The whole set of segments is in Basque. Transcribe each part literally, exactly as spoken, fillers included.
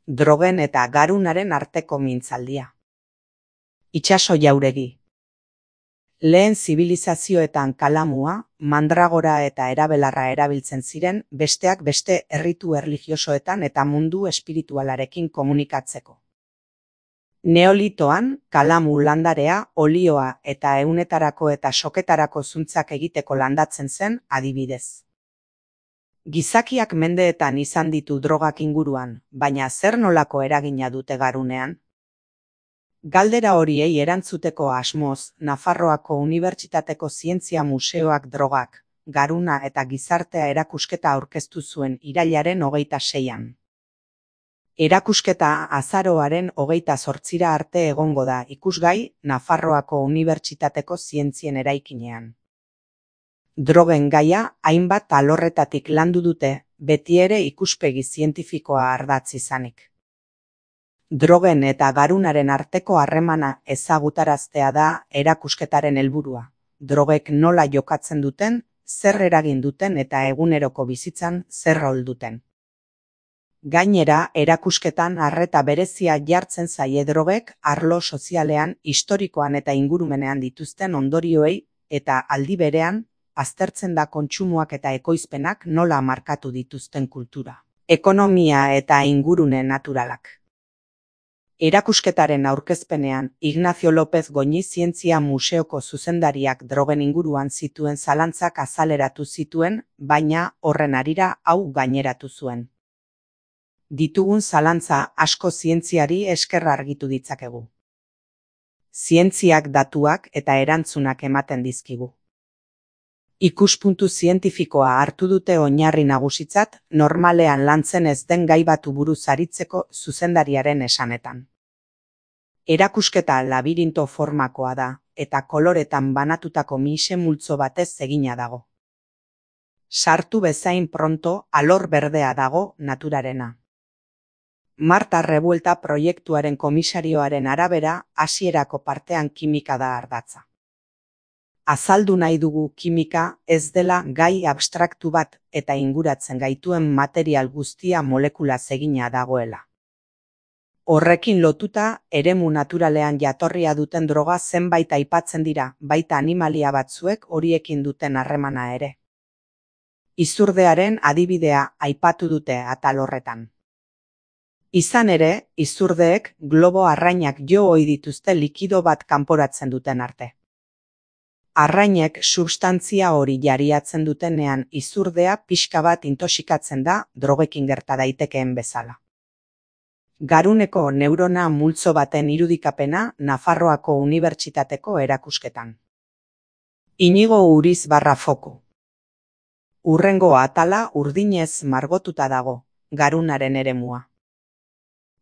Drogen eta garunaren arteko mintzaldia. Itsaso jauregi. Lehen zibilizazioetan kalamua, mandragora eta erabelarra erabiltzen ziren, besteak beste erritu erlijiosoetan eta mundu espiritualarekin komunikatzeko. Neolitoan, kalamu landarea, olioa eta ehunetarako eta soketarako zuntzak egiteko landatzen zen, adibidez. Gizakiak mendeetan izan ditu drogak inguruan, baina zer nolako eragina dute garunean? Galdera horiei erantzuteko asmoz, Nafarroako Unibertsitateko Zientzia Museoak drogak, garuna eta gizartea erakusketa aurkeztu zuen irailaren hogeita seian. Erakusketa azaroaren hogeita zortzira arte egongo da ikusgai Nafarroako Unibertsitateko Zientzien eraikinean. Drogen gaia hainbat alorretatik landu dute, beti ere ikuspegi zientifikoa ardatz izanik. Drogen eta garunaren arteko harremana ezagutaraztea da erakusketaren helburua. Drogek nola jokatzen duten, zer eragin duten eta eguneroko bizitzan zer rol duten. Gainera, erakusketan arreta berezia jartzen zaie drogek arlo sozialean, historikoan eta ingurumenean dituzten ondorioei eta aldi berean, aztertzen da kontsumoak eta ekoizpenak nola markatu dituzten kultura, ekonomia eta ingurune naturalak. Erakusketaren aurkezpenean, Ignacio López Goñi Zientzia Museoko zuzendariak drogen inguruan zituen zalantzak azaleratu zituen, baina horren harira hau gaineratu zuen. Ditugun zalantza asko zientziari esker argitu ditzakegu. Zientziak datuak eta erantzunak ematen dizkigu. Ikuspuntu zientifikoa hartu dute oinarri nagusitzat, normalean lantzen ez den gai batu buruz aritzeko zuzendariaren esanetan. Erakusketa labirinto formakoa da, eta koloretan banatutako mise multzo batez egina dago. Sartu bezain pronto alor berdea dago naturarena. Marta Revuelta proiektuaren komisarioaren arabera, hasierako partean kimika da ardatza. Azaldu nahi dugu kimika ez dela gai abstraktu bat eta inguratzen gaituen material guztia molekulaz egina dagoela. Horrekin lotuta, eremu naturalean jatorria duten droga zenbait aipatzen dira, baita animalia batzuek horiekin duten harremana ere. Izurdearen adibidea aipatu dute atal horretan. Izan ere, izurdeek globo arrainak jo ohi dituzte likido bat kanporatzen duten arte. Arrainek substantzia hori jariatzen dutenean izurdea pixka bat intoxikatzen da drogekin gerta daitekeen bezala. Garuneko neurona multzo baten irudikapena Nafarroako Unibertsitateko erakusketan. Inigo Uriz barra foko. Hurrengo atala urdinez margotuta dago, garunaren eremua.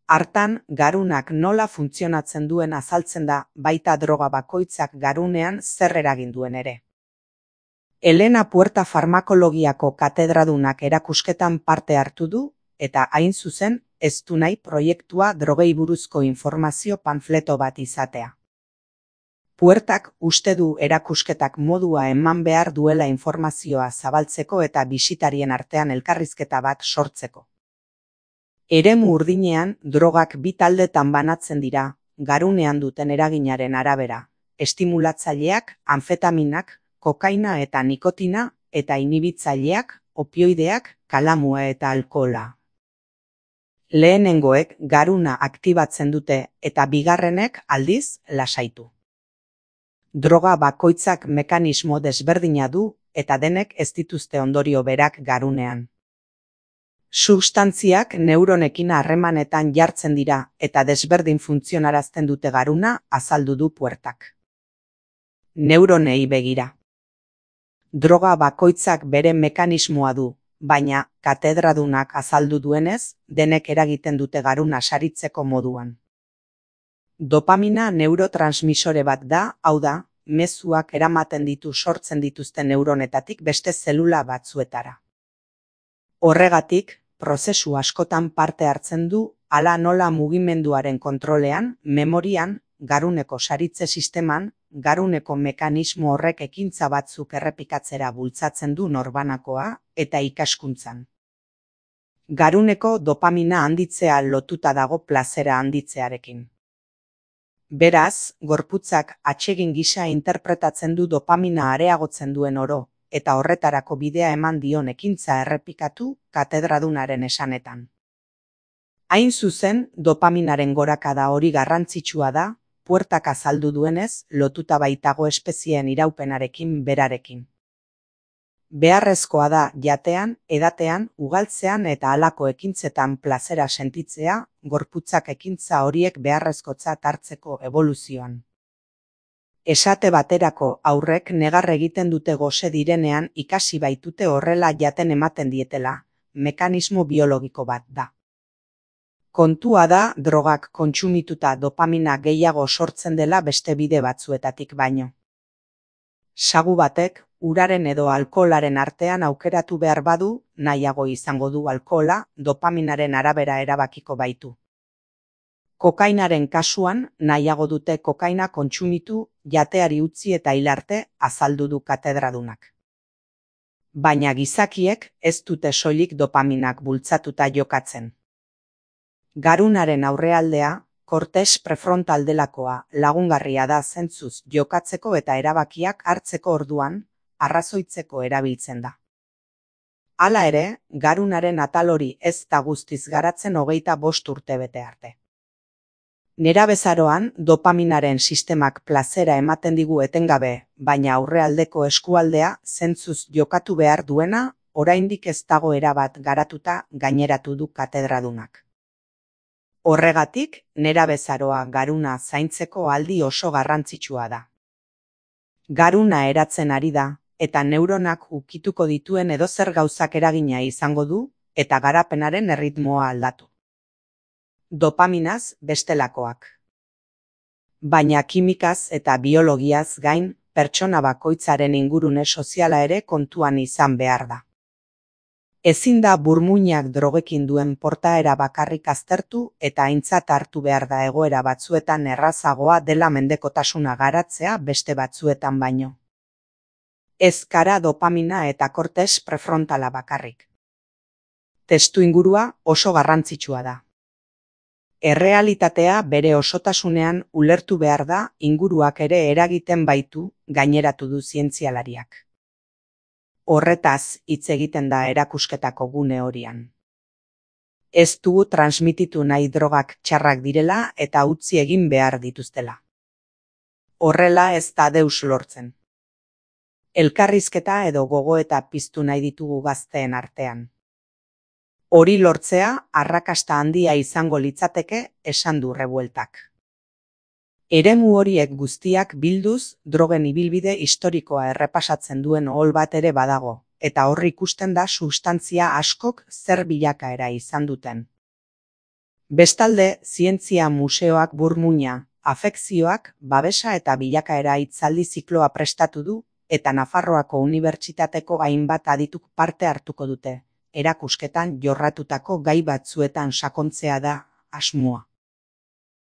Hartan, garunak nola funtzionatzen duen azaltzen da, baita droga bakoitzak garunean zer eragin duen ere. Elena Puerta farmakologiako katedradunak erakusketan parte hartu du, eta hain zuzen, ez du nahi proiektua drogei buruzko informazio panfleto bat izatea. Puertak uste du erakusketak modua eman behar duela informazioa zabaltzeko eta bisitarien artean elkarrizketa bat sortzeko. Eremu urdinean, drogak bi taldetan banatzen dira, garunean duten eraginaren arabera, estimulatzaileak, anfetaminak, kokaina eta nikotina, eta inhibitzaileak, opioideak, kalamua eta alkohola. Lehenengoek garuna aktibatzen dute eta bigarrenek aldiz lasaitu. Droga bakoitzak mekanismo desberdina du eta denek ez dituzte ondorio berak garunean. Substantziak neuronekin harremanetan jartzen dira eta desberdin funtzionarazten dute garuna azaldu du Puertak. Neuronei begira. Droga bakoitzak bere mekanismoa du, baina katedradunak azaldu duenez, denek eragiten dute garuna saritzeko moduan. Dopamina neurotransmisore bat da, hau da, mezuak eramaten ditu sortzen dituzten neuronetatik beste zelula batzuetara. Horregatik, prozesu askotan parte hartzen du, hala nola mugimenduaren kontrolean, memorian, garuneko saritze sisteman, garuneko mekanismo horrek ekintza batzuk errepikatzera bultzatzen du norbanakoa eta ikaskuntzan. Garuneko dopamina handitzea lotuta dago plazera handitzearekin. Beraz, gorputzak atsegin gisa interpretatzen du dopamina areagotzen duen oro, eta horretarako bidea eman dion ekintza errepikatu katedradunaren esanetan. Hain zuzen, dopaminaren gorakada hori garrantzitsua da, puertak azaldu duenez, lotuta baitago espezieen iraupenarekin berarekin. Beharrezkoa da jatean, edatean, ugaltzean eta halako ekintzetan plazera sentitzea, gorputzak ekintza horiek beharrezkotzat hartzeko eboluzioan. Esate baterako aurrek negar egiten dute gose direnean ikasi baitute horrela jaten ematen dietela, mekanismo biologiko bat da. Kontua da drogak kontsumituta dopamina gehiago sortzen dela beste bide batzuetatik baino. Sagu batek, uraren edo alkoholaren artean aukeratu behar badu, nahiago izango du alkohola, dopaminaren arabera erabakiko baitu. Kokainaren kasuan, nahiago dute kokaina kontsumitu, jateari utzi eta hil arte, azaldu du katedradunak. Baina gizakiek ez dute soilik dopaminak bultzatuta jokatzen. Garunaren aurrealdea, kortes prefrontal delakoa, lagungarria da zentzuz jokatzeko eta erabakiak hartzeko orduan, arrazoitzeko erabiltzen da. Hala ere, garunaren atal hori ez da guztiz garatzen hogeita bost urte bete arte. Nerabezaroan, dopaminaren sistemak plazera ematen digu etengabe, baina aurrealdeko eskualdea zentzuz jokatu behar duena, oraindik ez dago erabat garatuta gaineratu du katedradunak. Horregatik, nerabezaroa garuna zaintzeko aldi oso garrantzitsua da. Garuna eratzen ari da, eta neuronak ukituko dituen edozer gauzak eragina izango du, eta garapenaren erritmoa aldatu. Dopaminaz bestelakoak. Baina kimikaz eta biologiaz gain, pertsona bakoitzaren ingurune soziala ere kontuan izan behar da. Ezin da burmuinak drogekin duen portaera bakarrik aztertu eta aintzat hartu behar da egoera batzuetan errazagoa dela mendekotasuna garatzea beste batzuetan baino. Ez kara dopamina eta kortes prefrontala bakarrik. Testu ingurua oso garrantzitsua da. Errealitatea bere osotasunean ulertu behar da inguruak ere eragiten baitu gaineratu du zientzialariak. Horretaz hitz egiten da erakusketako gune horian. Ez dugu transmititu nahi drogak txarrak direla eta utzi egin behar dituztela. Horrela ez da deus lortzen. Elkarrizketa edo gogoeta piztu nahi ditugu gazteen artean. Hori lortzea arrakasta handia izango litzateke esan du Revueltak. Eremu horiek guztiak bilduz, drogen ibilbide historikoa errepasatzen duen ohol bat ere badago, eta horri ikusten da substantzia askok zer bilakaera izan duten. Bestalde, zientzia museoak burmuina, afekzioak, babesa eta bilakaera hitzaldi zikloa prestatu du, eta Nafarroako Unibertsitateko hainbat adituk parte hartuko dute, erakusketan jorratutako gai batzuetan sakontzea da asmoa.